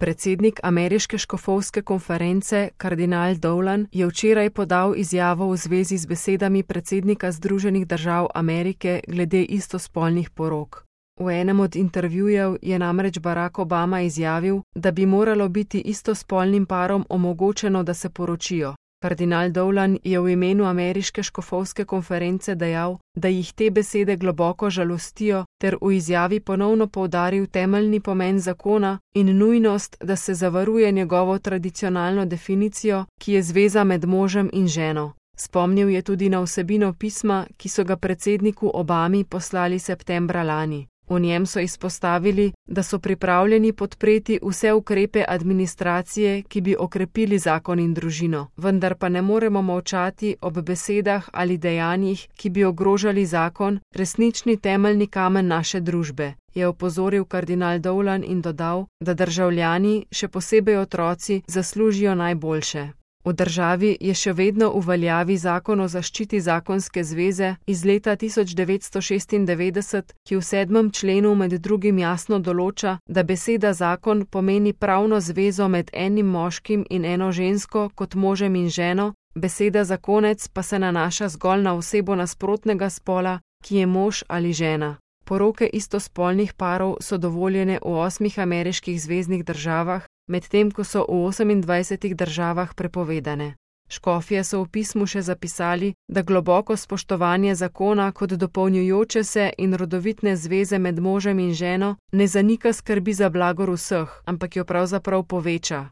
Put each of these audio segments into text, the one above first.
Predsednik ameriške škofovske konference, kardinal Dolan, je včeraj podal izjavo v zvezi z besedami predsednika Združenih držav Amerike glede istospolnih porok. V enem od intervjujev je namreč Barack Obama izjavil, da bi moralo biti istospolnim parom omogočeno, da se poročijo. Kardinal Dolan je v imenu ameriške škofovske konference dejal, da jih te besede globoko žalostijo, ter v izjavi ponovno poudaril temeljni pomen zakona in nujnost, da se zavaruje njegovo tradicionalno definicijo, ki je zveza med možem in ženo. Spomnil je tudi na vsebino pisma, ki so ga predsedniku Obami poslali septembra lani. V njem so izpostavili, da so pripravljeni podpreti vse ukrepe administracije, ki bi okrepili zakon in družino, vendar pa ne moremo molčati ob besedah ali dejanjih, ki bi ogrožali zakon, resnični temeljni kamen naše družbe, je opozoril kardinal Dolan in dodal, da državljani, še posebej otroci, zaslužijo najboljše. V državi je še vedno v veljavi zakon o zaščiti zakonske zveze iz leta 1996, ki v 7. členu med drugim jasno določa, da beseda zakon pomeni pravno zvezo med enim moškim in eno žensko kot možem in ženo, beseda zakonec pa se nanaša zgolj na osebo nasprotnega spola, ki je mož ali žena. Poroke istospolnih parov so dovoljene v 8 ameriških zveznih državah, medtem ko so v 28 državah prepovedane. Škofje so v pismu še zapisali, da globoko spoštovanje zakona kot dopolnjujoče se in rodovitne zveze med možem in ženo ne zanika skrbi za blagor vseh, ampak jo pravzaprav poveča.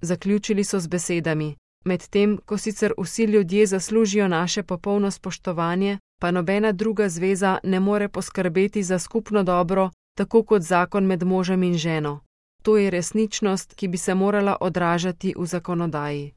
Zaključili so z besedami: medtem ko sicer vsi ljudje zaslužijo naše popolno spoštovanje, pa nobena druga zveza ne more poskrbeti za skupno dobro, tako kot zakon med možem in ženo. To je resničnost, ki bi se morala odražati v zakonodaji.